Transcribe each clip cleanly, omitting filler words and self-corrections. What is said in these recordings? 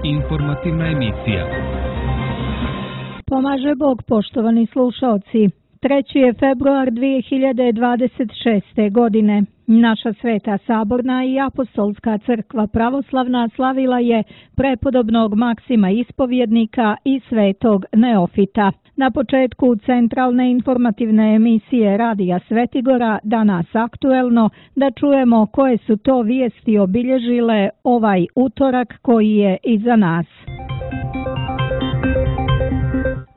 Informativna emisija. Pomaže Bog, poštovani slušaoci. 3. je februar 2026. godine. Naša Sveta Saborna i Apostolska crkva pravoslavna slavila je prepodobnog Maksima Ispovjednika i svetog Neofita. Na početku centralne informativne emisije Radija Svetigora, danas aktuelno, da čujemo koje su to vijesti obilježile ovaj utorak koji je iza nas.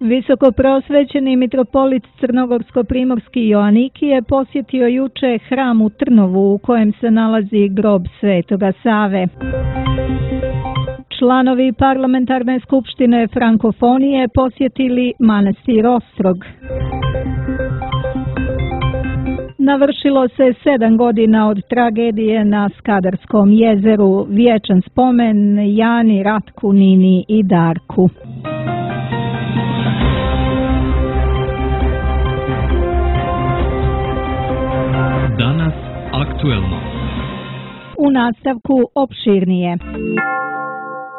Visokoprosvećeni mitropolit Crnogorsko-primorski Joanikije posjetio juče hram u Trnovu u kojem se nalazi grob Svetoga Save. Članovi parlamentarne skupštine Frankofonije posjetili manastir Ostrog. Navršilo se 7 godina od tragedije na Skadarskom jezeru. Vječan spomen Jani, Ratku, Nini i Darku. Danas aktuelno. U nastavku opširnije.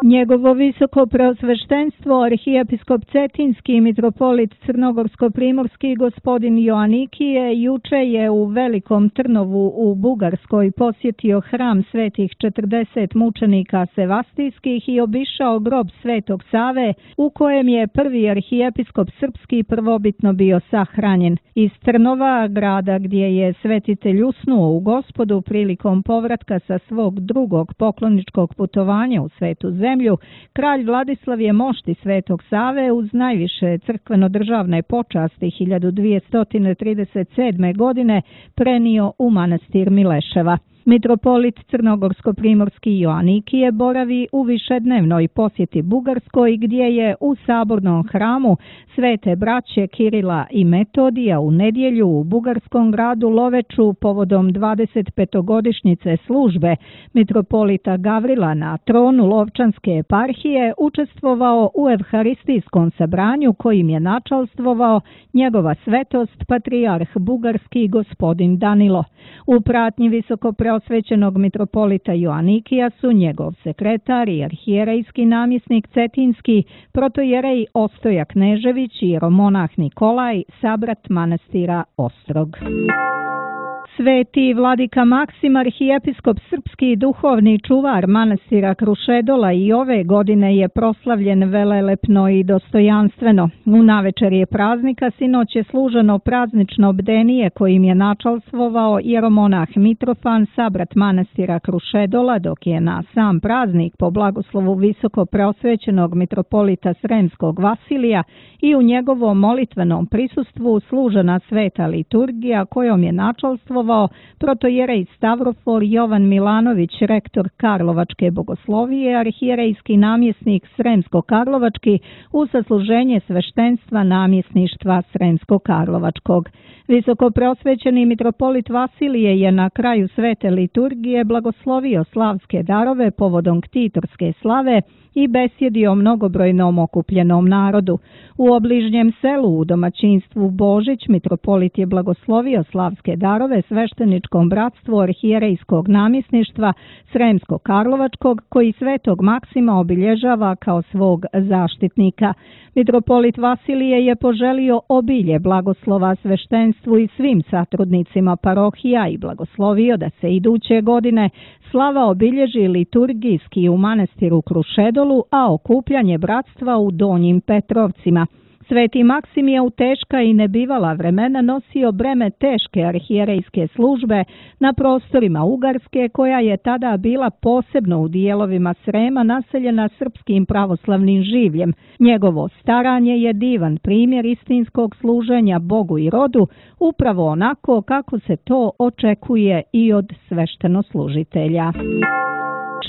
Njegovo visoko preosveštenstvo arhijepiskop Cetinski i mitropolit Crnogorsko-primorski gospodin Joanikije juče je u Velikom Trnovu u Bugarskoj posjetio hram svetih 40 mučenika sevastijskih i obišao grob Svetog Save u kojem je prvi arhijepiskop srpski prvobitno bio sahranjen. Iz Trnova, grada gdje je svetitelj usnuo u Gospodu prilikom povratka sa svog drugog pokloničkog putovanja u Svetu zemlju, kralj Vladislav je mošti Svetog Save uz najviše crkveno-državne počasti 1237. godine prenio u manastir Mileševa. Mitropolit Crnogorsko-primorski Joanikije boravi u višednevnoj posjeti Bugarskoj gdje je u sabornom hramu Svete braće Kirila i Metodija u nedjelju u bugarskom gradu Loveču povodom 25-godišnjice službe mitropolita Gavrila na tronu Lovčanske eparhije učestvovao u evharistijskom sabranju kojim je načalstvovao njegova svetost patrijarh bugarski gospodin Danilo. U pratnji visokopreosvećenog mitropolita Joanikija su njegov sekretar i arhijerejski namjesnik Cetinski, protojerej Ostoja Knežević i jeromonah Nikolaj, sabrat manastira Ostrog. Sveti vladika Maksim, arhijepiskop srpski duhovni čuvar manastira Krušedola i ove godine je proslavljen velelepno i dostojanstveno. U navečerje praznika sinoć je služeno praznično bdenije kojim je načalstvovao jeromonah Mitrofan, sabrat manastira Krušedola, dok je na sam praznik po blagoslovu visoko preosvećenog mitropolita Sremskog Vasilija i u njegovom molitvenom prisustvu služena sveta liturgija kojom je načalstvovao protojerej Stavrofor Jovan Milanović, rektor Karlovačke bogoslovije, arhijerejski namjesnik Sremsko-Karlovački u sasluženje sveštenstva namjesništva Sremsko-Karlovačkog. Visokopreosvećeni mitropolit Vasilije je na kraju svete liturgije blagoslovio slavske darove povodom ktitorske slave i besjedio mnogobrojnom okupljenom narodu. U obližnjem selu u domaćinstvu Božić mitropolit je blagoslovio slavske darove svešteničkom bratstvu arhijerejskog namjesništva Sremsko-Karlovačkog koji svetog Maksima obilježava kao svog zaštitnika. Mitropolit Vasilije je poželio obilje blagoslova sveštenstvu i svim satrudnicima parohija i blagoslovio da se iduće godine slava obilježi liturgijski u manastiru Krušedolu, a okupljanje bratstva u Donjim Petrovcima. Sveti Maksim je u teška i nebivala vremena nosio breme teške arhijerejske službe na prostorima Ugarske, koja je tada bila posebno u dijelovima Srema naseljena srpskim pravoslavnim življem. Njegovo staranje je divan primjer istinskog služenja Bogu i rodu, upravo onako kako se to očekuje i od sveštenoslužitelja.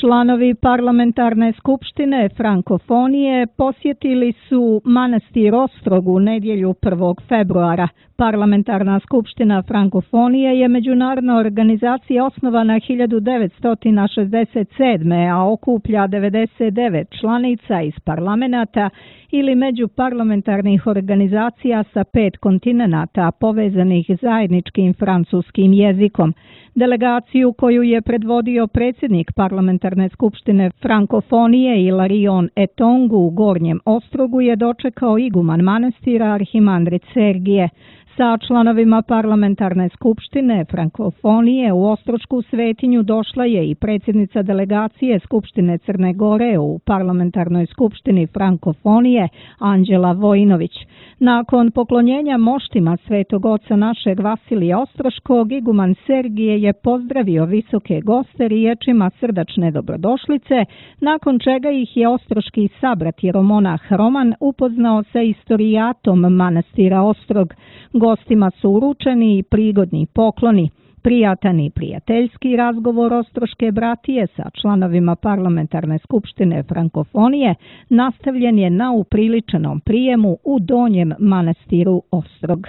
Članovi parlamentarne skupštine Frankofonije posjetili su manastir Ostrog u nedjelju 1. februara. Parlamentarna skupština Frankofonije je međunarodna organizacija osnovana 1967. a okuplja 99 članica iz parlamenata ili međuparlamentarnih organizacija sa 5 kontinenata povezanih zajedničkim francuskim jezikom. Delegaciju koju je predvodio predsjednik Parlamentarne skupštine Frankofonije Ilarion Etongu u Gornjem Ostrogu je dočekao iguman manastira Arhimandrit Sergije. Sa članovima Parlamentarne skupštine Frankofonije u Ostrošku svetinju došla je i predsjednica delegacije Skupštine Crne Gore u Parlamentarnoj skupštini Frankofonije Anđela Vojinović. Nakon poklonjenja moštima Svetog oca našeg Vasilija Ostroškog, iguman Sergije je pozdravio visoke goste riječima srdačne dobrodošlice, nakon čega ih je ostroški sabrat jeromonah Roman upoznao sa istorijatom manastira Ostrog. Gostima su uručeni i prigodni pokloni. Prijatan i prijateljski razgovor ostroške bratije sa članovima Parlamentarne skupštine Frankofonije nastavljen je na upriličenom prijemu u Donjem manastiru Ostrog.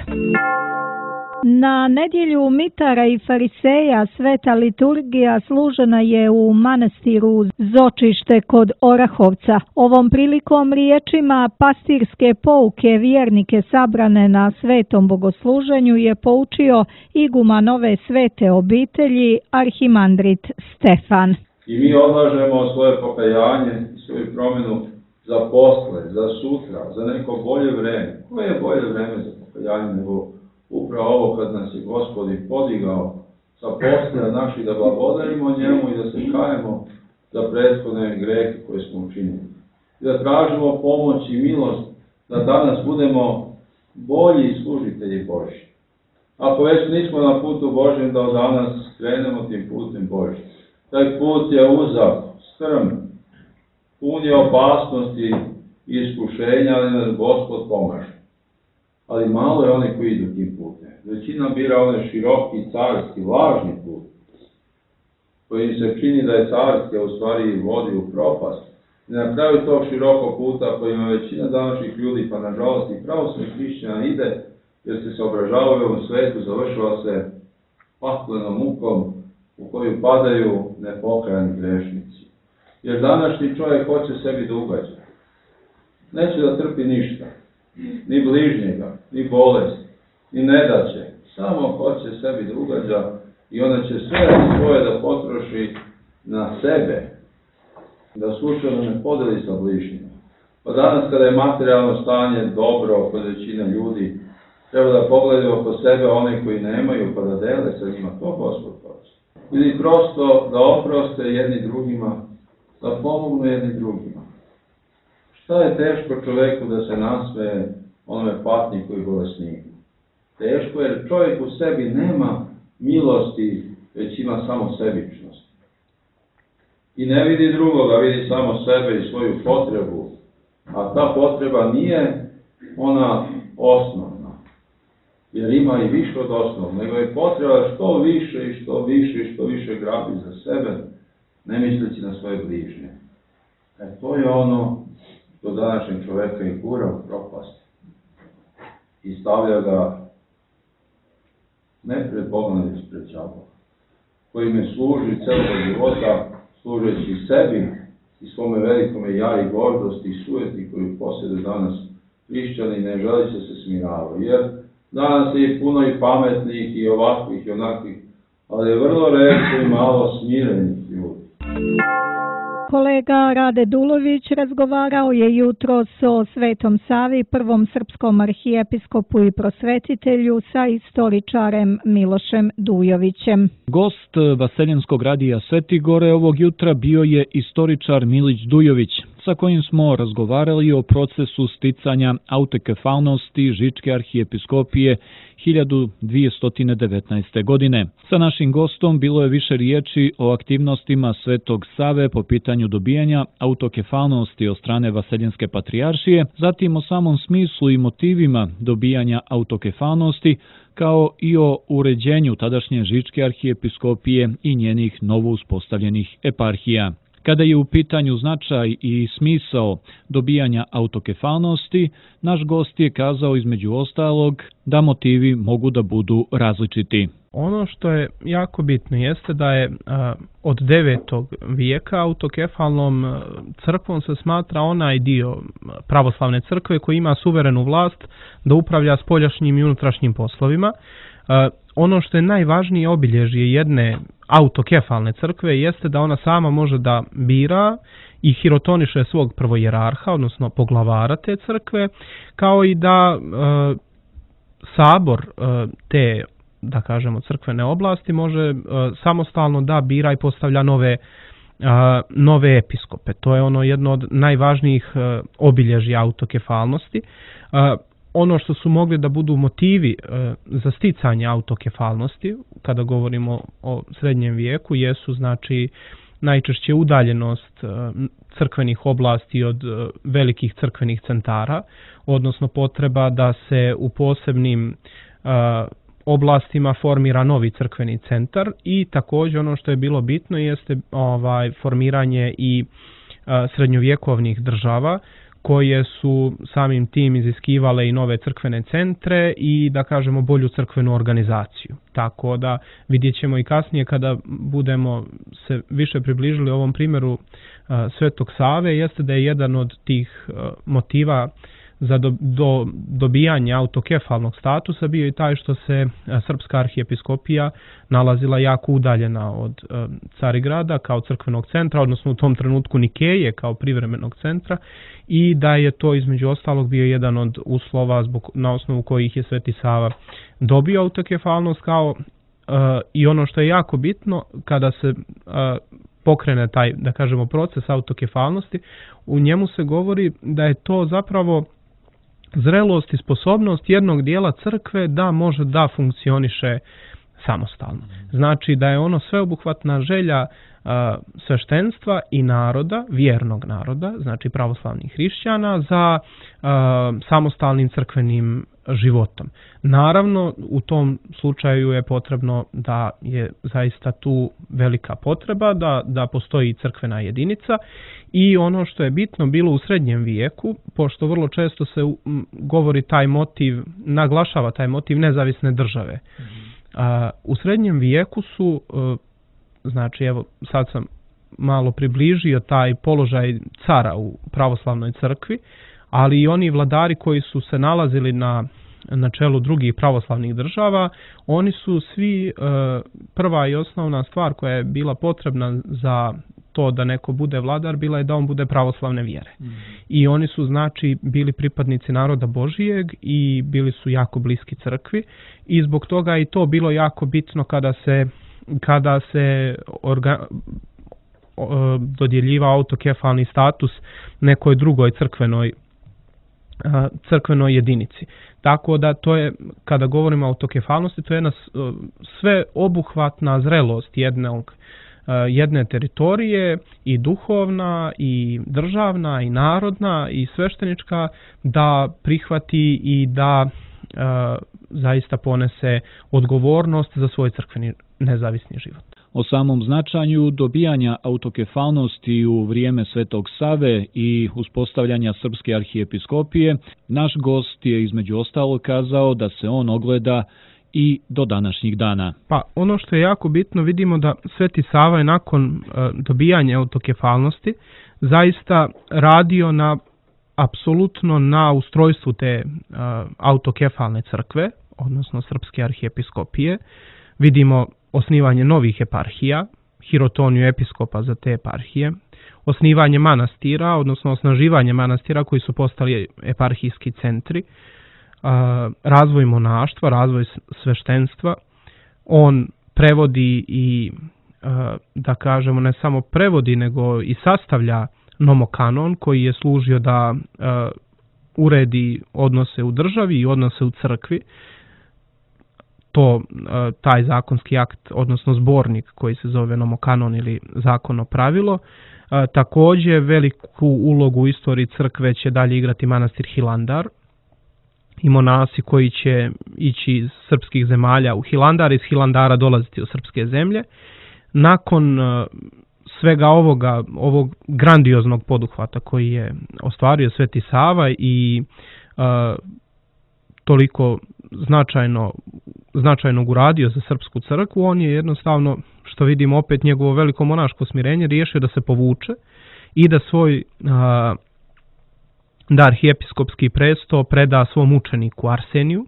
Na nedjelju mitara i fariseja sveta liturgija služena je u manastiru Zočište kod Orahovca. Ovom prilikom riječima pastirske pouke vjernike sabrane na svetom bogosluženju je poučio iguman ove svete obitelji Arhimandrit Stefan. I mi odlažemo svoje pokajanje i svoju promjenu za posle, za sutra, za neko bolje vreme. Koje je bolje vreme za pokajanje nego upravo ovo kad nas je Gospod podigao sa posle naših da blagodarimo njemu i da se kajemo za prethodne grehe koje smo učinili. I da tražimo pomoć i milost da danas budemo bolji služitelji Božji. Ako već nismo na putu Božjem, da od danas krenemo tim putem Božjim. Taj put je uzak, strm, pun je opasnosti i iskušenja, ali nas Gospod pomaže. Ali malo je oni koji idu tim putem. Većina bira onaj široki, carski, lažni put, koji se čini da je carski, a u stvari vodi u propast. I na kraju tog širokog puta kojima većina današnjih ljudi, pa nažalost i pravoslavnih hrišćana ide, jer se obražavaju u ovom svetu, završava se patlenom mukom u koju padaju nepokajani grešnici. Jer današnji čovjek hoće sebi da ugađa. Neće da trpi ništa. Ni bližnjega, ni bolest, ni nedaće. Samo hoće sebi da ugađa i onda će sve svoje da potroši na sebe, da slučajno ne podeli sa bližnjima. Pa danas kada je materijalno stanje dobro kod većine ljudi, treba da pogledaju oko sebe one koji nemaju pa da dele sa njima, to Gospod hoće. Ili prosto da oproste jedni drugima, da pomognu jedni drugima. Šta je teško čovjeku da se nasmeje onome patniku i bolesniku? Teško jer čovjek u sebi nema milosti, već ima samo sebičnost. I ne vidi drugoga, vidi samo sebe i svoju potrebu. A ta potreba nije ona osnovna. Jer ima i više od osnovnog, nego je potreba što više i što više i što više grabi za sebe, ne misleći na svoje bližnje. To je ono što današnjeg čovjeka i gura u propast i stavlja ga ne pred Bogom, nego pred đavolom, koji me služi celog života, služeći sebi i svome velikome ja i gordosti i sujeti koju posjeduje danas hrišćani, ne želeći se smiravaju. Jer danas je puno i pametnih i ovakvih i onakvih, ali je vrlo retko i malo smirenih ljudi. Kolega Rade Dulović razgovarao je jutros o Svetom Savi, prvom srpskom arhijepiskopu i prosvetitelju sa istoričarem Milošem Dujovićem. Gost Vaseljenskog radija Sveti Gore ovog jutra bio je istoričar Milić Dujović, sa kojim smo razgovarali o procesu sticanja autokefalnosti Žičke arhijepiskopije 1219. godine. Sa našim gostom bilo je više riječi o aktivnostima Svetog Save po pitanju dobijanja autokefalnosti od strane Vaseljenske patrijaršije, zatim o samom smislu i motivima dobijanja autokefalnosti, kao i o uređenju tadašnje Žičke arhijepiskopije i njenih novo uspostavljenih eparhija. Kada je u pitanju značaj i smisao dobijanja autokefalnosti, naš gost je kazao između ostalog da motivi mogu da budu različiti. Ono što je jako bitno jeste da je od 9. vijeka autokefalnom crkvom se smatra onaj dio pravoslavne crkve koji ima suverenu vlast da upravlja spoljašnjim i unutrašnjim poslovima. Ono što je najvažnije obilježje jedne autokefalne crkve jeste da ona sama može da bira i hirotoniše svog prvojerarha, odnosno poglavara te crkve, kao i da sabor te, da kažemo, crkvene oblasti može samostalno da bira i postavlja nove episkope. To je ono jedno od najvažnijih obilježja autokefalnosti. Ono što su mogli da budu motivi za sticanje autokefalnosti, kada govorimo o srednjem vijeku, jesu znači najčešće udaljenost crkvenih oblasti od velikih crkvenih centara, odnosno potreba da se u posebnim oblastima formira novi crkveni centar i također ono što je bilo bitno jeste formiranje i srednjovjekovnih država koje su samim tim iziskivale i nove crkvene centre i, da kažemo, bolju crkvenu organizaciju. Tako da vidjet ćemo i kasnije kada budemo se više približili ovom primjeru Svetog Save, jeste da je jedan od tih motiva za dobijanje autokefalnog statusa bio i taj što se srpska arhijepiskopija nalazila jako udaljena od Carigrada kao crkvenog centra, odnosno u tom trenutku Nikeje kao privremenog centra, i da je to između ostalog bio jedan od uslova na osnovu kojih je Sveti Sava dobio autokefalnost, kao i ono što je jako bitno kada se pokrene taj, da kažemo, proces autokefalnosti, u njemu se govori da je to zapravo zrelost i sposobnost jednog dijela crkve da može da funkcioniše samostalno. Znači da je ono sveobuhvatna želja sveštenstva i naroda, vjernog naroda, znači pravoslavnih hrišćana, za samostalnim crkvenim životom. Naravno, u tom slučaju je potrebno da je zaista tu velika potreba, da postoji crkvena jedinica, i ono što je bitno bilo u srednjem vijeku, pošto vrlo često se govori taj motiv, naglašava taj motiv nezavisne države. U srednjem vijeku su, znači evo sad sam malo približio taj položaj cara u pravoslavnoj crkvi, ali i oni vladari koji su se nalazili na čelu drugih pravoslavnih država, oni su svi, prva i osnovna stvar koja je bila potrebna za to da neko bude vladar, bila je da on bude pravoslavne vjere. I oni su znači bili pripadnici naroda Božijeg i bili su jako bliski crkvi, i zbog toga je i to bilo jako bitno kada se dodjeljivao autokefalni status nekoj drugoj crkvenoj jedinici. Tako da to je, kada govorimo o autokefalnosti, to je jedna sveobuhvatna zrelost jedne teritorije, i duhovna, i državna, i narodna, i sveštenička, da prihvati i da zaista ponese odgovornost za svoj crkveni nezavisni život. O samom značaju dobijanja autokefalnosti u vrijeme Svetog Save i uspostavljanja Srpske arhijepiskopije, naš gost je između ostalog kazao da se on ogleda i do današnjih dana. Pa ono što je jako bitno, vidimo da Sveti Sava je nakon dobijanja autokefalnosti zaista radio apsolutno na ustrojstvu te autokefalne crkve, odnosno Srpske arhijepiskopije. Vidimo osnivanje novih eparhija, hirotoniju episkopa za te eparhije, osnivanje manastira, odnosno osnaživanje manastira koji su postali eparhijski centri, razvoj monaštva, razvoj sveštenstva. On prevodi i, da kažemo, ne samo prevodi, nego i sastavlja nomokanon koji je služio da uredi odnose u državi i odnose u crkvi. Taj zakonski akt, odnosno zbornik koji se zove nomokanon ili zakonno pravilo. Također veliku ulogu u istoriji crkve će dalje igrati manastir Hilandar i monasi koji će ići iz srpskih zemalja u Hilandar, iz Hilandara dolaziti u srpske zemlje. Nakon svega ovog grandioznog poduhvata koji je ostvario Sveti Sava i toliko značajnog uradio za srpsku crkvu, on je jednostavno, što vidimo opet njegovo veliko monaško smirenje, riješio da se povuče i da svoj da arhijepiskopski presto preda svom učeniku Arseniju.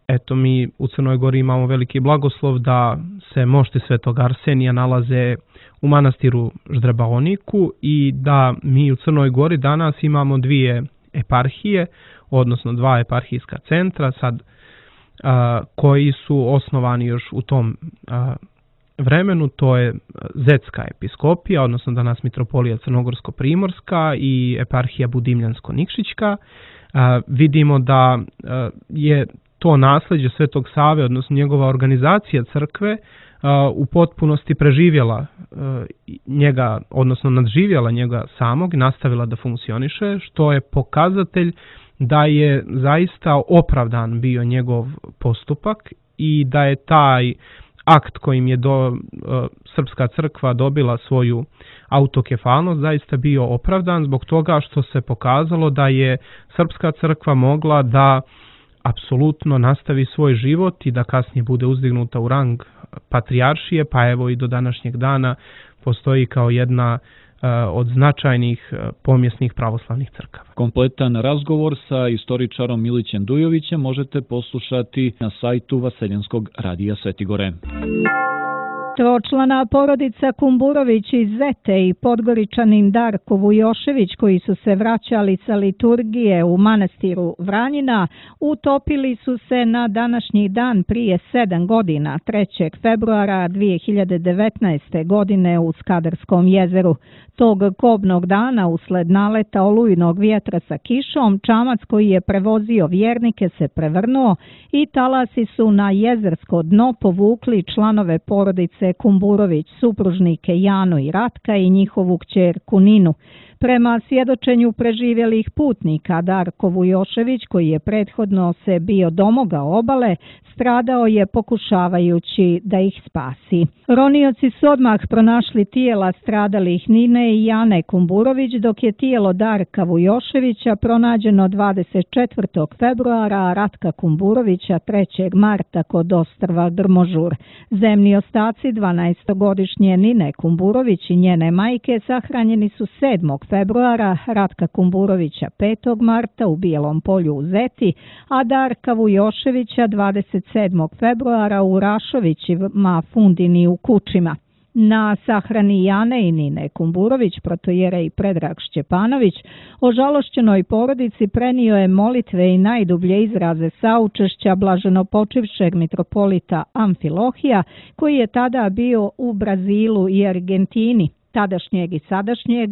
Eto, mi u Crnoj Gori imamo veliki blagoslov da se mošti svetog Arsenija nalaze u manastiru Ždrebaoniku i da mi u Crnoj Gori danas imamo dvije eparhije, odnosno dva eparhijska centra, sad koji su osnovani još u tom vremenu. To je Zetska episkopija, odnosno danas mitropolija Crnogorsko-primorska i eparhija Budimljansko-Nikšićka. Vidimo da je to nasljeđe Svetog Save, odnosno njegova organizacija crkve, u potpunosti preživjela njega, odnosno nadživjela njega samog i nastavila da funkcioniše, što je pokazatelj da je zaista opravdan bio njegov postupak i da je taj akt kojim je Srpska crkva dobila svoju autokefalnost zaista bio opravdan, zbog toga što se pokazalo da je Srpska crkva mogla da apsolutno nastavi svoj život i da kasnije bude uzdignuta u rang patrijaršije, pa evo i do današnjeg dana postoji kao jedna od značajnih pomjesnih pravoslavnih crkava. Kompletan razgovor sa istoričarom Milićem Dujovićem možete poslušati na sajtu Vaseljenskog radija Svetigore. Tročlana porodica Kumburović iz Zete i Podgoričanin Darko Vujošević, koji su se vraćali sa liturgije u manastiru Vranjina, utopili su se na današnji dan prije 7 godina, 3. februara 2019. godine u Skadarskom jezeru. Tog kobnog dana, usled naleta olujnog vjetra sa kišom, čamac koji je prevozio vjernike se prevrnuo i talasi su na jezersko dno povukli članove porodice Kumburović, supružnike Janu i Ratka i njihovu kćerku Ninu. Prema svjedočenju preživjelih putnika, Darko Vujošević, koji je prethodno se bio domogao obale, stradao je pokušavajući da ih spasi. Ronioci su odmah pronašli tijela stradalih Nine i Jane Kumburović, dok je tijelo Darka Vujoševića pronađeno 24. februara, a Ratka Kumburovića 3. marta kod ostrva Drmožur. Zemni ostaci 12-godišnje Nine Kumburović i njene majke sahranjeni su 7. februara, Ratka Kumburovića 5. marta u Bijelom polju u Zeti, a Darka Vujoševića 27. februara u Rašovićima Fundini u Kučima. Na sahrani Jane i Nine Kumburović, protojerej Predrag Šćepanović, ožalošćenoj porodici prenio je molitve i najdublje izraze saučešća blaženopočivšeg mitropolita Amfilohija, koji je tada bio u Brazilu i Argentini, tadašnjeg i sadašnjeg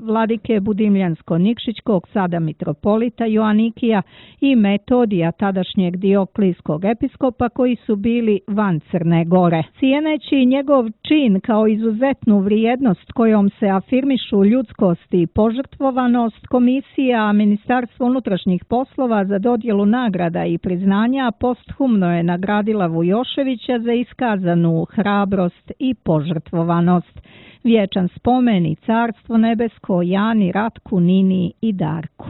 vladike Budimljansko-Nikšićkog, sada mitropolita Joanikija, i Metodija, tadašnjeg Dioklijskog episkopa, koji su bili van Crne Gore. Cijeneći njegov čin kao izuzetnu vrijednost kojom se afirmišu ljudskost i požrtvovanost, Komisija Ministarstva unutrašnjih poslova za dodjelu nagrada i priznanja posthumno je nagradila Vujoševića za iskazanu hrabrost i požrtvovanost. Vječan spomen i carstvo nebesko Jani, Ratku, Nini i Darku.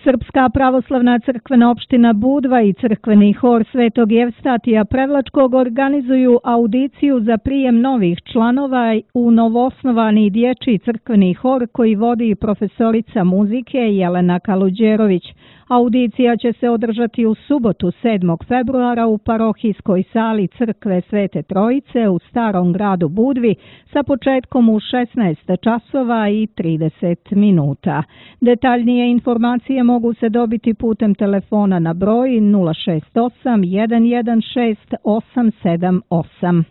Srpska pravoslavna crkvena opština Budva i crkveni hor Svetog Jevstatija Prevlačkog organizuju audiciju za prijem novih članova u novoosnovani dječji crkveni hor koji vodi profesorica muzike Jelena Kaluđerović. Audicija će se održati u subotu 7. februara u parohijskoj sali crkve Svete Trojice u Starom gradu Budvi sa početkom u 16 časova i 30 minuta. Detaljnije informacije mogu se dobiti putem telefona na broj 068 116 878.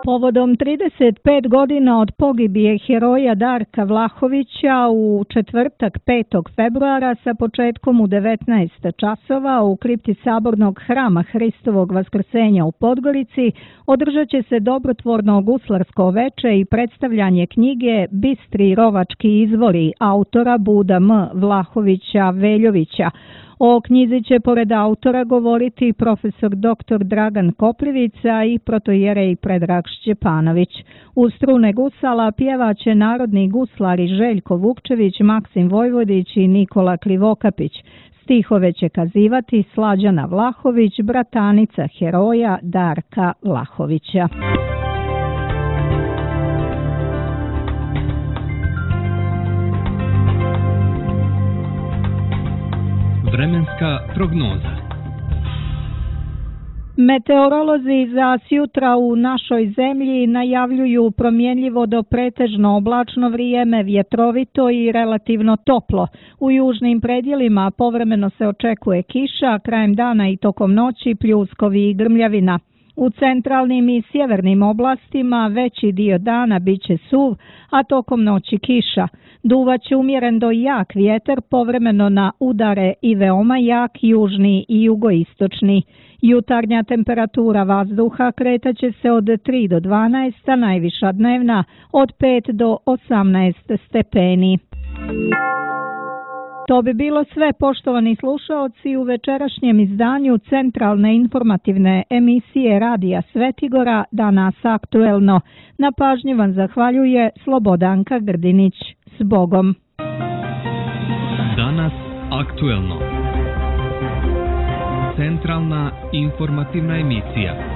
Povodom 35 godina od pogibije heroja Darka Vlahovića u četvrtak 5. februara sa početkom u 19 časova u kripti Sabornog hrama Hristovog Vaskrsenja u Podgorici održat će se dobrotvorno guslarsko veče i predstavljanje knjige Bistri rovački izvori autora Buda M. Vlahovića Veljovića. O knjizi će pored autora govoriti profesor dr. Dragan Koprivica i protojerej Predrag Šćepanović. U strune gusala pjevaće narodni guslari Željko Vukčević, Maksim Vojvodić i Nikola Krivokapić. Stihove će kazivati Slađana Vlahović, bratanica heroja Darka Vlahovića. Vremenska prognoza. Meteorolozi za sjutra u našoj zemlji najavljuju promjenljivo do pretežno oblačno vrijeme, vjetrovito i relativno toplo. U južnim predjelima povremeno se očekuje kiša, krajem dana i tokom noći pljuskovi i grmljavina. U centralnim i sjevernim oblastima veći dio dana biće suv, a tokom noći kiša. Duvaće umjeren do jak vjetar, povremeno na udare i veoma jak južni i jugoistočni. Jutarnja temperatura vazduha kretaće se od 3 do 12, a najviša dnevna od 5 do 18 stepeni. To bi bilo sve, poštovani slušaoci, u večerašnjem izdanju centralne informativne emisije Radija Svetigora Danas aktuelno. Na pažnji vam zahvaljuje Slobodanka Grdinić. S Bogom! Danas aktuelno. Centralna informativna emisija.